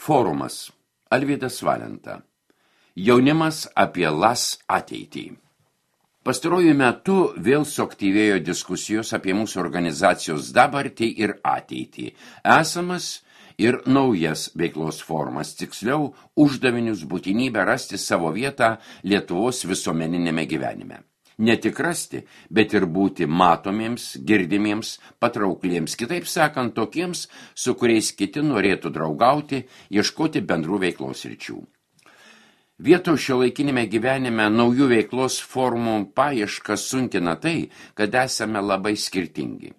Forumas. Alvydas Valenta. Jaunimas apie LAS ateitį. Pastaruoju metu vėl suaktyvėjo diskusijos apie mūsų organizacijos dabartį ir ateitį, esamas ir naujas veiklos formas, tiksliau uždavinius, būtinybę rasti savo vietą Lietuvos visuomeninėme gyvenime. Ne tik rasti, bet ir būti matomiems, girdimiems, patraukliems, kitaip sakant, tokiems, su kuriais kiti norėtų draugauti, ieškoti bendrų veiklos ryčių. Vietos šiuolaikinėme gyvenime naujų veiklos formų paiešką sunkina tai, kad esame labai skirtingi.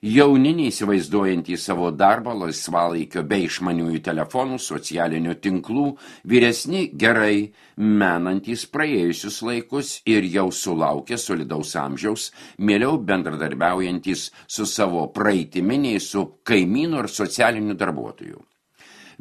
Jauni neįsivaizduojantys savo darbą, laisvalaikio bei išmaniųjų telefonų, socialinių tinklų, vyresni gerai menantys praėjusius laikus ir jau sulaukę solidaus amžiaus, mieliau bendradarbiaujantys su savo praeitimi nei su kaimynu ar socialiniu darbuotoju.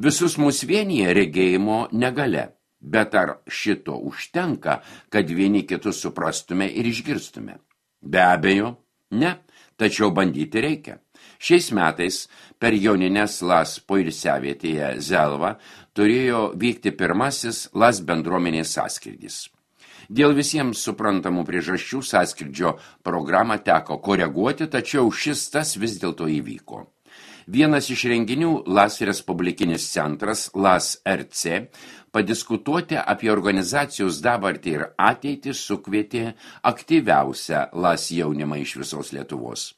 Visus mus vienyje regėjimo negalia, bet ar šito užtenka, kad vieni kitus suprastume ir išgirstume? Be abejo, ne. Tačiau bandyti reikia. Šiais metais per jonines LAS poilsiavietėje Zelva turėjo vykti pirmasis LAS bendruomenės sąskrydis. Dėl visiems suprantamų priežasčių sąskrydžio programą teko koreguoti, tačiau šis tas vis dėlto įvyko. Vienas iš renginių LAS Respublikinis centras, LAS RC, padiskutuoti apie organizacijos dabartį ir ateitį sukvietė aktyviausią LAS jaunimą iš visos Lietuvos.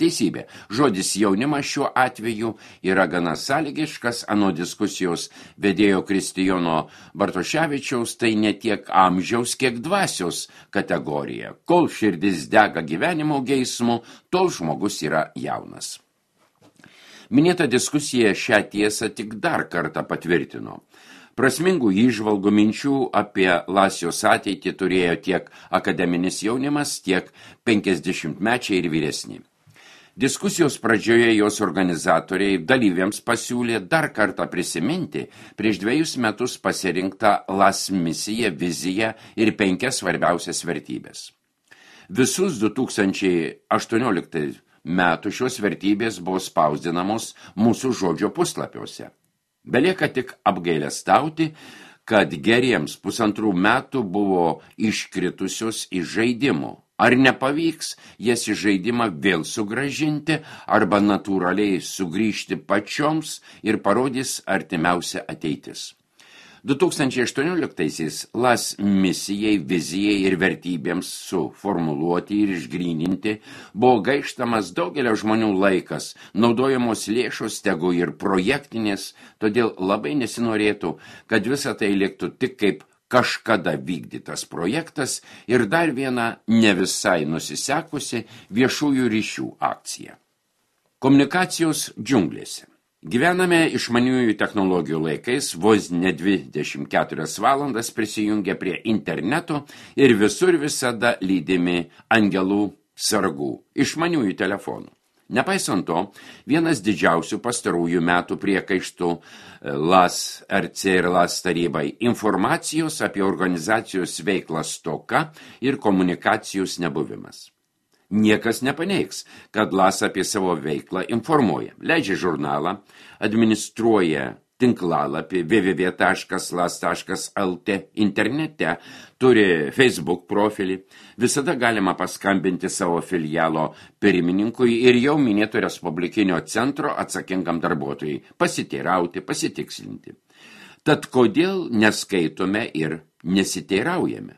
Teisybė, žodis jaunimas šiuo atveju yra gana sąlygiškas, anot diskusijos vedėjo Kristijono Bartoševičiaus, tai ne tiek amžiaus, kiek dvasios kategorija. Kol širdis dega gyvenimo geismu, tol žmogus yra jaunas. Minėta diskusija šią tiesą tik dar kartą patvirtino. Prasmingų įžvalgų minčių apie LAS ateitį turėjo tiek akademinis jaunimas, tiek 50-mečiai ir vyresni. Diskusijos pradžioje jos organizatoriai dalyviams pasiūlė dar kartą prisiminti prieš 2 metus pasirinktą LAS misiją, viziją ir 5 svarbiausias vertybės. Visus 2018 metų šios vertybės buvo spausdinamos mūsų žodžio puslapiuose. Belieka tik apgailestauti, kad geriems 1,5 metų buvo iškritusios iš žaidimo. Ar nepavyks jas į žaidimą vėl sugrąžinti, arba natūraliai sugrįžti pačioms ir parodys artimiausia ateitis. 2018-aisiais LAS misijai, vizijai ir vertybėms suformuluoti ir išgryninti buvo gaištamas daugelio žmonių laikas, naudojamos lėšos, tegu ir projektinės, todėl labai nesinorėtų, kad visa tai liktų tik kaip kažkada vykdytas projektas ir dar viena ne visai nusisekusi viešųjų ryšių akcija. Komunikacijos džiunglėse. Gyvename išmaniųjų technologijų laikais, vos ne 24 valandas prisijungia prie interneto ir visur visada lydimi angelų sargų, išmaniųjų telefonų. Nepaisant to, vienas didžiausių pastarųjų metų priekaištų LAS RC ir LAS tarybai informacijos apie organizacijos veiklą stoka ir komunikacijos nebuvimas. Niekas nepaneigs, kad LAS apie savo veiklą informuoja, leidžia žurnalą, administruoja tinklalapį www.las.lt internete, turi Facebook profilį, visada galima paskambinti savo filialo pirmininkui ir jau minėto Respublikinio centro atsakingam darbuotojui, pasiteirauti, pasitikslinti. Tad kodėl neskaitome ir nesiteiraujame?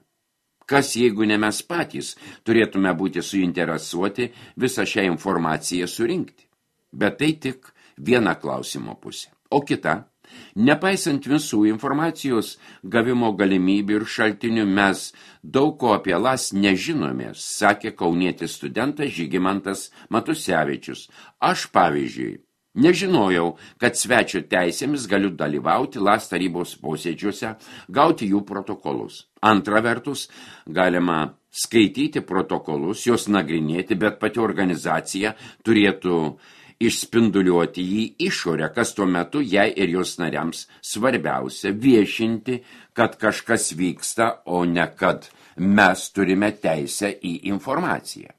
Kas, jeigu ne mes patys, turėtume būti suinteresuoti visą šią informaciją surinkti? Bet tai tik viena klausimo pusė. O kita, nepaisant visų informacijos gavimo galimybių ir šaltinių, mes daug ko apie LAS nežinome, sakė kaunietis studentas Žygimantas Matusevičius. Aš, pavyzdžiui, nežinojau, kad svečio teisėmis galiu dalyvauti LAS tarybos posėdžiuose, gauti jų protokolus. Antra vertus, galima skaityti protokolus, juos nagrinėti, bet pati organizacija turėtų išspinduliuoti į išorę, kas tuo metu jai ir jos nariams svarbiausia viešinti, kad kažkas vyksta, o ne kad mes turime teisę į informaciją.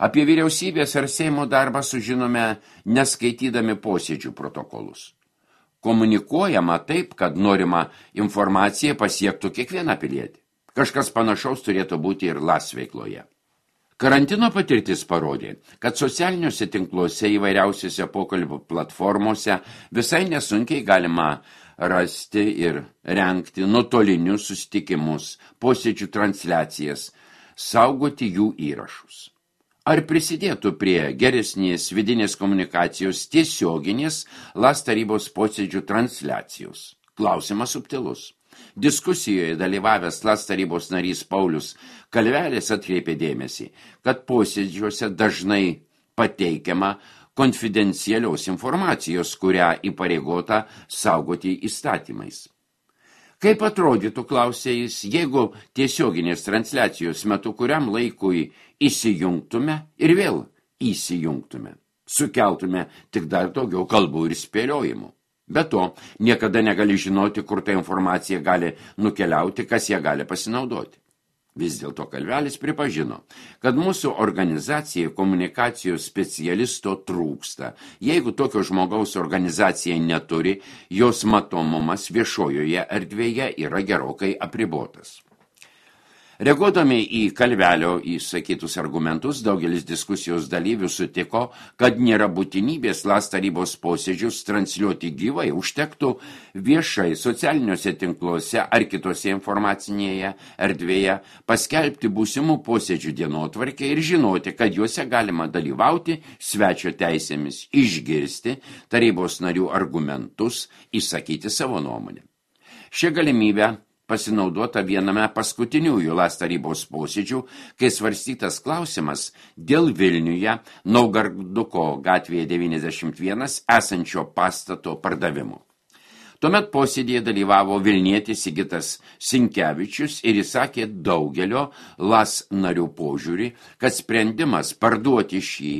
Apie vyriausybės ar Seimo darbą sužinome neskaitydami posėdžių protokolus. komunikuojama taip, kad norima informacija pasiektų kiekvieną pilietį. Kažkas panašaus turėtų būti ir LAS veikloje. Karantino patirtis parodė, kad socialiniuose tinkluose įvairiausiose pokalbių platformose visai nesunkiai galima rasti ir rengti nuotolinius susitikimus, posėdžių transliacijas, saugoti jų įrašus. Ar prisidėtų prie geresnės vidinės komunikacijos tiesioginės LAS tarybos posėdžių transliacijos? Klausimas subtilus. Diskusijoje dalyvavęs LAS tarybos narys Paulius Kalvelis atkreipė dėmesį, kad posėdžiuose dažnai pateikiama konfidencialios informacijos, kurią įpareigota saugoti įstatymais. Kaip atrodytų, klausė jis, jeigu tiesioginės transliacijos metu kuriam laikui įsijungtume ir vėl įsijungtume, sukeltume tik dar daugiau kalbų ir spėliojimų. Be to, niekada negali žinoti, kur ta informacija gali nukeliauti, kas ją gali pasinaudoti. Vis dėlto Kalvelis pripažino, kad mūsų organizacijai komunikacijos specialisto trūksta. Jeigu tokio žmogaus organizacija neturi, jos matomumas viešojoje erdvėje yra gerokai apribotas. Reaguodami į Kalvelio įsakytus argumentus, daugelis diskusijos dalyvių sutiko, kad nėra būtinybės LAS tarybos posėdžius transliuoti gyvai, užtektų viešai socialiniuose tinkluose ar kitose informacinėje erdvėje paskelbti būsimų posėdžių dienotvarkę ir žinoti, kad juose galima dalyvauti svečio teisėmis, išgirsti tarybos narių argumentus, išsakyti savo nuomonę. Šią galimybę pasinaudota viename paskutiniųjų LAS tarybos posėdžių, kai svarstytas klausimas dėl Vilniuje Naugarduko gatvėje 91 esančio pastato pardavimo. Tuomet posėdėje dalyvavo Vilnietis Sigitas Sinkevičius ir įsakė daugelio LAS narių požiūrį, kad sprendimas parduoti šį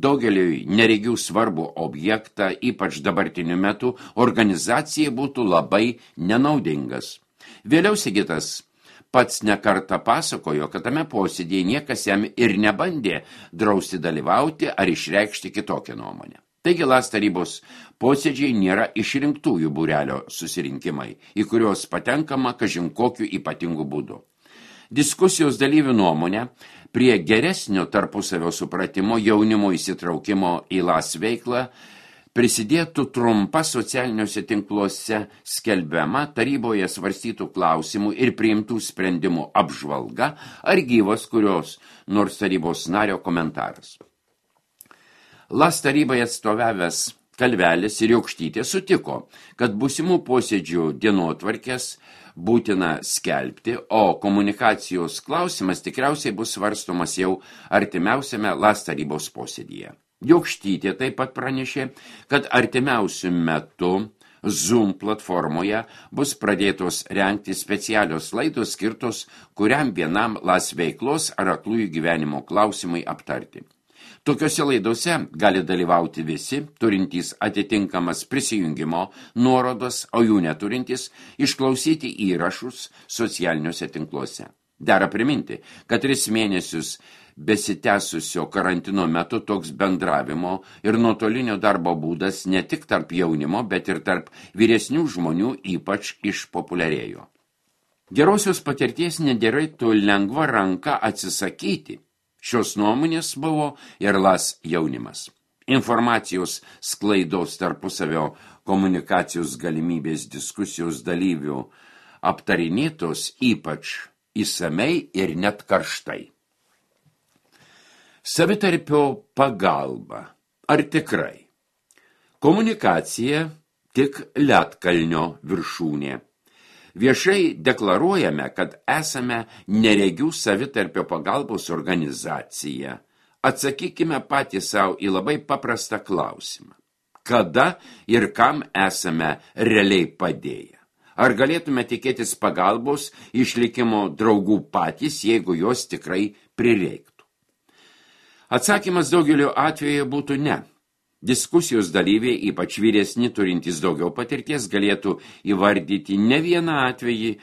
daugeliui neregių svarbų objektą, ypač dabartiniu metu, organizacijai būtų labai nenaudingas. Vėliau Sigitas pats nekartą pasakojo, kad tame posėdėje niekas jam ir nebandė drausti dalyvauti ar išreikšti kitokią nuomonę. Taigi LAS tarybos posėdžiai nėra išrinktųjų būrelio susirinkimai, į kuriuos patenkama kažin kokiu ypatingu būdu. Diskusijos dalyvių nuomonė prie geresnio tarpusavio supratimo jaunimo įsitraukimo į LAS veiklą prisidėtų trumpa socialiniuose tinkluose skelbiama taryboje svarstytų klausimų ir priimtų sprendimų apžvalga ar gyvas kurios nors tarybos nario komentaras. LAS tarybai atstovavęs Kalvelis ir Jokštytė sutiko, kad būsimų posėdžių dienotvarkės būtina skelbti, o komunikacijos klausimas tikriausiai bus svarstomas jau artimiausiame LAS tarybos posėdyje. Jokštytė taip pat pranešė, kad artimiausiu metu Zoom platformoje bus pradėtos rengti specialios laidos skirtos kuriam vienam LAS veiklos ar aklųjų gyvenimo klausimai aptarti. Tokiose laidose gali dalyvauti visi, turintys atitinkamas prisijungimo nuorodas, o jų neturintys išklausyti įrašus socialiniuose tinkluose. Dera priminti, kad 3 mėnesius besitęsusio karantino metu toks bendravimo ir nuotolinio darbo būdas ne tik tarp jaunimo, bet ir tarp vyresnių žmonių ypač išpopuliarėjo. Gerosios patirties nederėtų lengva ranka atsisakyti. Šios nuomonės buvo ir LAS jaunimas. Informacijos sklaidos tarpusavio komunikacijos galimybės diskusijos dalyvių aptarinėtos ypač įsamei ir net karštai. Savitarpio pagalba. Ar tikrai? Komunikacija tik ledkalnio viršūnė. Viešai deklaruojame, kad esame neregių savitarpio pagalbos organizacija. Atsakykime patys savo į labai paprastą klausimą. Kada ir kam esame realiai padėję? Ar galėtume tikėtis pagalbos išlikimo draugų patys, jeigu jos tikrai prireiktų? Atsakymas daugeliu atveju būtų ne. Diskusijos dalyviai, ypač vyresni turintys daugiau patirties, galėtų įvardyti ne vieną atvejį,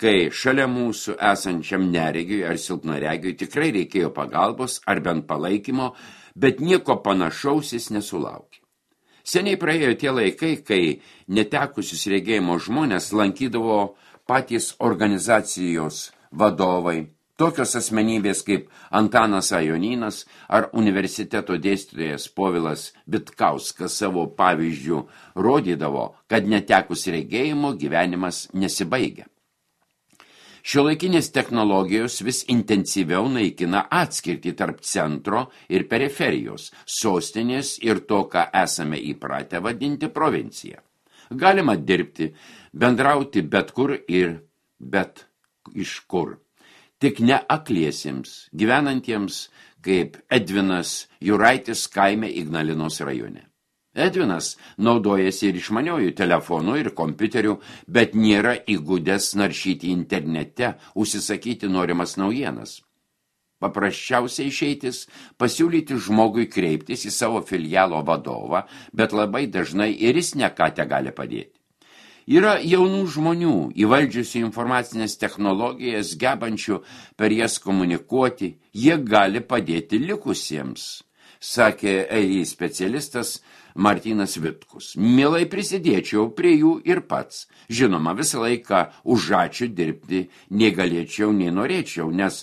kai šalia mūsų esančiam neregiui ar silpnaregiui tikrai reikėjo pagalbos ar bent palaikymo, bet nieko panašaus jis nesulaukė. Seniai praėjo tie laikai, kai netekusius regėjimo žmonės lankydavo patys organizacijos vadovai, tokios asmenybės kaip Antanas A. Jonynas ar universiteto dėstytojas Povilas Vitkauskas savo pavyzdžių rodydavo, kad netekus regėjimo gyvenimas nesibaigia. Šiuolaikinės technologijos vis intensyviau naikina atskirtį tarp centro ir periferijos, sostinės ir to, ką esame įpratę vadinti provincija. Galima dirbti, bendrauti bet kur ir bet iš kur. Tik ne akliesiems, gyvenantiems kaip Edvinas Juraitis kaime Ignalinos rajone. Edvinas naudojasi ir išmaniojų telefonų ir kompiuterių, bet nėra įgudęs naršyti internete, užsisakyti norimas naujienas. Paprasčiausiai išeitis pasiūlyti žmogui kreiptis į savo filialo vadovą, bet labai dažnai ir jis ne ką te gali padėti. Yra jaunų žmonių, įvaldžiusių informacinės technologijas, gebančių per jas komunikuoti, jie gali padėti likusiems, sakė EI specialistas Martynas Vitkus. Mielai prisidėčiau prie jų ir pats. Žinoma, visą laiką už ačiū dirbti nei galėčiau, nei norėčiau, nes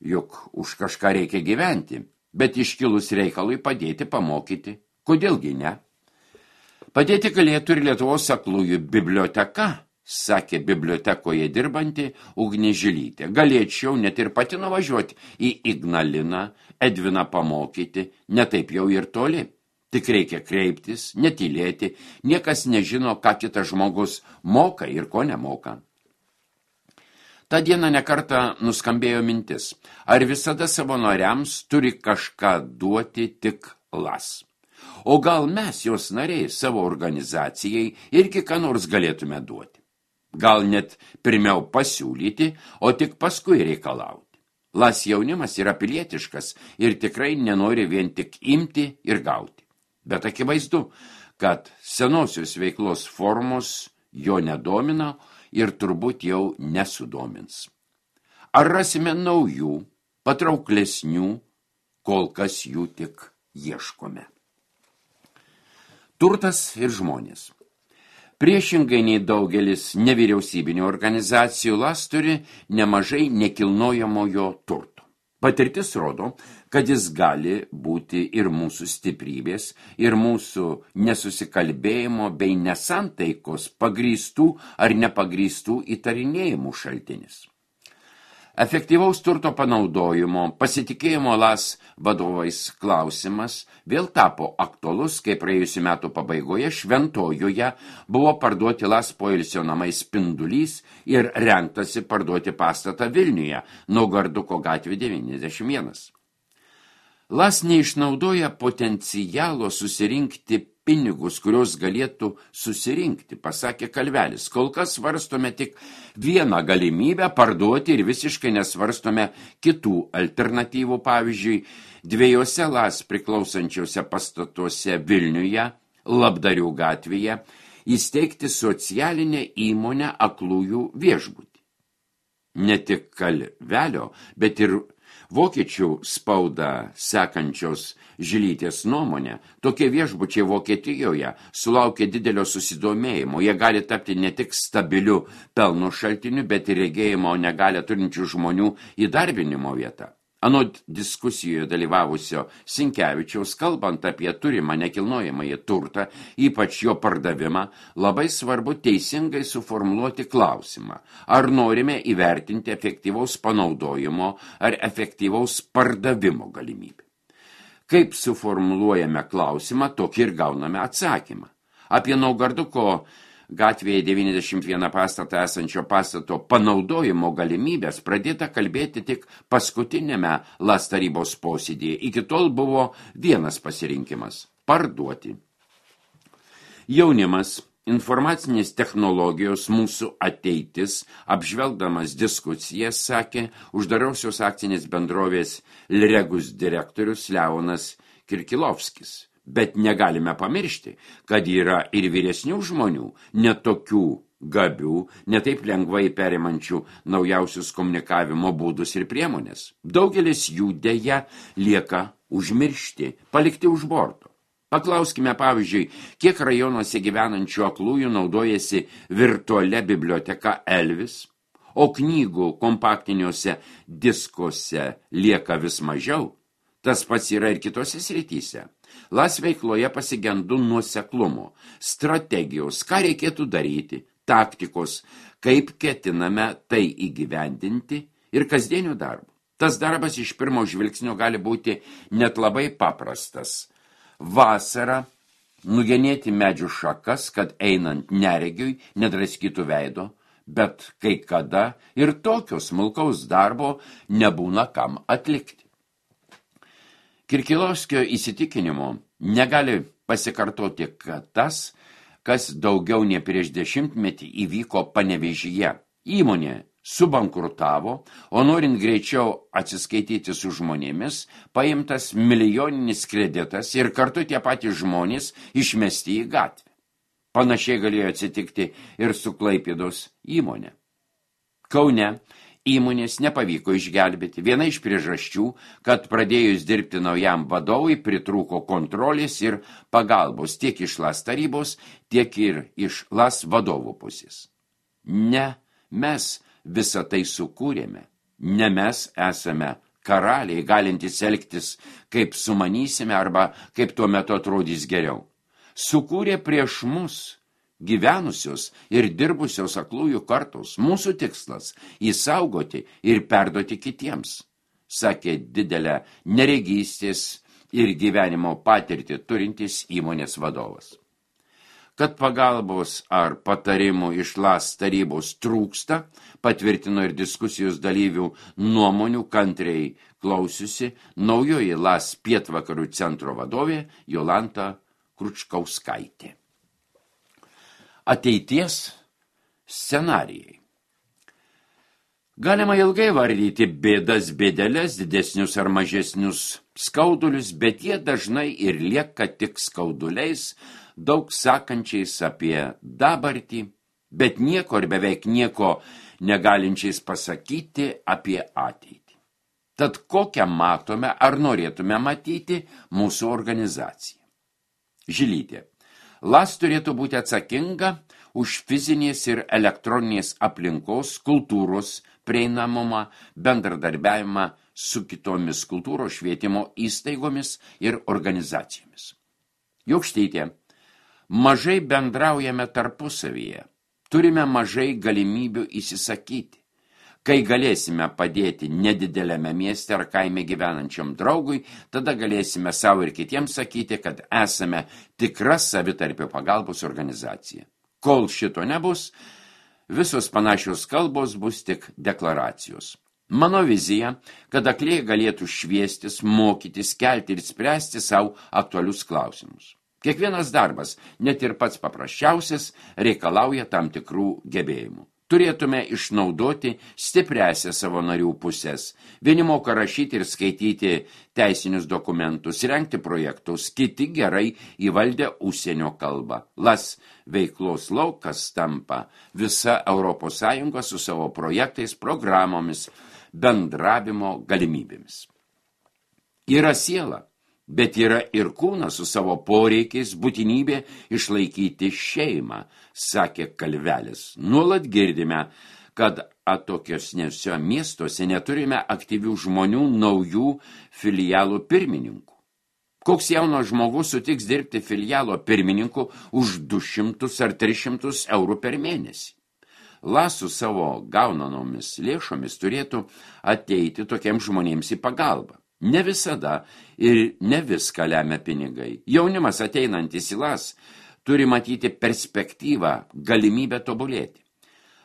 juk už kažką reikia gyventi, bet iškilus reikalui padėti pamokyti. Kodėlgi ne? Padėti galėtų ir Lietuvos aklųjų biblioteka, sakė bibliotekoje dirbanti Ugnė Žilytė. Galėčiau net ir pati nuvažiuoti į Ignaliną, Edviną pamokyti, ne taip jau ir toli. Tik reikia kreiptis, netylėti, niekas nežino, ką kitas žmogus moka ir ko nemoka. Ta diena nekartą nuskambėjo mintis, ar visada savanoriams turi kažką duoti tik LAS. O gal mes, jos nariai, savo organizacijai irgi ką nors galėtume duoti. Gal net pirmiau pasiūlyti, o tik paskui reikalauti. LAS jaunimas yra pilietiškas ir tikrai nenori vien tik imti ir gauti. Bet akivaizdu, kad senosios veiklos formos jo nedomina ir turbūt jau nesudomins. Ar rasime naujų, patrauklesnių, kol kas jų tik ieškome. Turtas ir žmonės. Priešingai nei daugelis nevyriausybinių organizacijų, LAS turi nemažai nekilnojamojo turto. Patirtis rodo, kad jis gali būti ir mūsų stiprybės, ir mūsų nesusikalbėjimo bei nesantaikos pagrįstų ar nepagrįstų įtarinėjimų šaltinis. Efektyvaus turto panaudojimo, pasitikėjimo LAS vadovais klausimas vėl tapo aktualus, kai praėjusių metų pabaigoje Šventojoje buvo parduoti LAS poilsio namai Spindulys ir rengtasi parduoti pastatą Vilniuje, Naugarduko gatvė 91. LAS neišnaudoja potencialo susirinkti pinigus, kurios galėtų susirinkti, pasakė Kalvelis. Kol kas svarstome tik vieną galimybę parduoti ir visiškai nesvarstome kitų alternatyvų. Pavyzdžiui, dviejose LAS priklausančiose pastatuose Vilniuje, Labdarių gatvėje, įsteigti socialinę įmonę aklųjų viešbutį. Ne tik Kalvelio, bet ir vokiečių spaudą sekančios Žilytės nuomonė, tokie viešbučiai Vokietijoje sulaukia didelio susidomėjimo. Jie gali tapti ne tik stabiliu pelno šaltiniu, bet ir regėjimo negalią turinčių žmonių įdarbinimo vietą. Anot diskusijoje dalyvavusio Sinkevičiaus, kalbant apie turimą nekilnojamąjį turtą, ypač jo pardavimą, labai svarbu teisingai suformuluoti klausimą, ar norime įvertinti efektyvaus panaudojimo ar efektyvaus pardavimo galimybę. Kaip suformuluojame klausimą, tokį ir gauname atsakymą. Apie Naugarduko gatvėje 91 pastatą esančio pastato panaudojimo galimybės pradėta kalbėti tik paskutinėme LAS tarybos posėdėje. Iki tol buvo vienas pasirinkimas – parduoti. Jaunimas, informacinės technologijos, mūsų ateitis, apžvelgdamas diskusijas, sakė uždarosios akcinės bendrovės Lregus direktorius Leonas Kirkilovskis. Bet negalime pamiršti, kad yra ir vyresnių žmonių, netokių gabių, netaip lengvai perimančių naujausius komunikavimo būdus ir priemonės. Daugelis jų deja lieka užmiršti, palikti už borto. Paklauskime, pavyzdžiui, kiek rajonuose gyvenančių aklųjų naudojasi virtualia biblioteka Elvis, o knygų kompaktiniuose diskuose lieka vis mažiau. Tas pats yra ir kitose srityse. LAS veikloje pasigendu nuoseklumo, strategijos, ką reikėtų daryti, taktikos, kaip ketiname tai įgyvendinti ir kasdienio darbo. Tas darbas iš pirmo žvilgsnio gali būti net labai paprastas. Vasarą nugenėti medžių šakas, kad einant neregiui nedraskytų veido, bet kai kada ir tokio smulkaus darbo nebūna kam atlikti. Kirkilovskio įsitikinimu negali pasikartoti tas, kas daugiau nei prieš 10 metį įvyko Panevėžyje. Įmonė subankrutavo, o norint greičiau atsiskaityti su žmonėmis, paimtas milijoninis kreditas ir kartu tie patys žmonės išmesti į gatvę. Panašiai galėjo atsitikti ir su Klaipėdos įmonė. Kaune įmonės nepavyko išgelbėti. Viena iš priežasčių, kad pradėjus dirbti naujam vadovui pritrūko kontrolės ir pagalbos tiek iš LAS tarybos, tiek ir iš LAS vadovų pusės. Ne, mes visą tai sukūrėme. Ne mes esame karaliai, galintys elgtis, kaip sumanysime arba kaip tuo metu atrodys geriau. Sukūrė prieš mus gyvenusios ir dirbusios aklųjų kartos. Mūsų tikslas – įsaugoti ir perduoti kitiems, sakė didelę neregystės ir gyvenimo patirtį turintis įmonės vadovas. Kad pagalbos ar patarimų iš LAS tarybos trūksta, patvirtino ir diskusijos dalyvių nuomonių kantriai klausiusi naujoji LAS pietvakarių centro vadovė Jolanta Kručkauskaitė. Ateities scenarijai. Galima ilgai vardyti bėdas, bėdeles, didesnius ar mažesnius skaudulius, bet jie dažnai ir lieka tik skauduliais, daug sakančiais apie dabartį, bet nieko ir beveik nieko negalinčiais pasakyti apie ateitį. Tad kokią matome ar norėtume matyti mūsų organizaciją? Žilytė. LAS turėtų būti atsakinga už fizinės ir elektroninės aplinkos, kultūros prieinamumą, bendradarbiavimą su kitomis kultūros švietimo įstaigomis ir organizacijomis. Jokštytė, mažai bendraujame tarpusavyje, turime mažai galimybių įsisakyti. Kai galėsime padėti nedideliame mieste ar kaime gyvenančiam draugui, tada galėsime savo ir kitiems sakyti, kad esame tikra savitarpio pagalbos organizacija. Kol šito nebus, visos panašios kalbos bus tik deklaracijos. Mano vizija, kad aklieji galėtų šviestis, mokytis, kelti ir spręsti savo aktualius klausimus. Kiekvienas darbas, net ir pats paprasčiausias, reikalauja tam tikrų gebėjimų. Turėtume išnaudoti stipriąsias savo narių pusės. Vieni moka rašyti ir skaityti teisinius dokumentus, rengti projektus, kiti gerai įvaldę užsienio kalbą. LAS veiklos laukas tampa visa ES su savo projektais, programomis, bendravimo galimybėmis. Yra siela, bet yra ir kūnas su savo poreikiais, būtinybė išlaikyti šeimą, sakė Kalvelis. Nuolat girdime, kad atokiosniuose miestuose neturime aktyvių žmonių, naujų filialų pirmininkų. Koks jaunas žmogus sutiks dirbti filialo pirmininku už 200 ar 300 eurų per mėnesį? LAS su savo gaunanomis lėšomis turėtų ateiti tokiems žmonėms į pagalbą. Ne visada ir ne viską lemia pinigai. Jaunimas ateinantis į LAS turi matyti perspektyvą, galimybę tobulėti.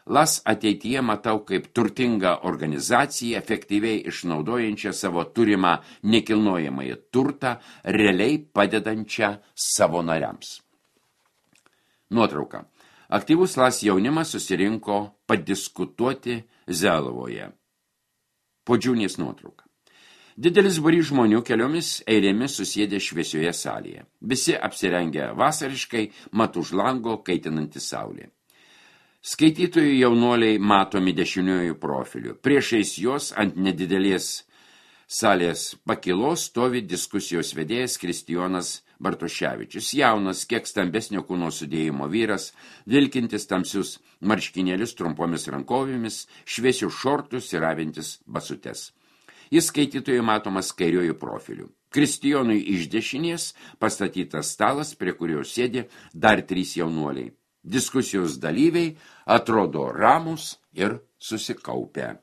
LAS ateityje matau kaip turtingą organizaciją, efektyviai išnaudojančią savo turimą nekilnojamąjį turtą, realiai padedančią savo nariams. Nuotrauka. Aktyvus LAS jaunimas susirinko padiskutuoti Zelovoje. Podžiūnės nuotrauka. Didelis būrys žmonių keliomis eilėmis susėdė šviesioje salėje. Visi apsirengę vasariškai, mat už lango kaitinanti saulė. Skaitytojų jaunuoliai matomi dešiniųjų profilių. Priešais jos ant nedidelės salės pakilos stovi diskusijos vedėjas Kristijonas Bartoševičius, jaunas, kiek stambesnio kūno sudėjimo vyras, vilkintis tamsius marškinėlius trumpomis rankovėmis, šviesius šortus ir avintis basutes. Jis skaitytojui matomas kairiojų profiliu. Kristijonui iš dešinės pastatytas stalas, prie kurio sėdi dar 3 jaunuoliai. Diskusijos dalyviai atrodo ramus ir susikaupę.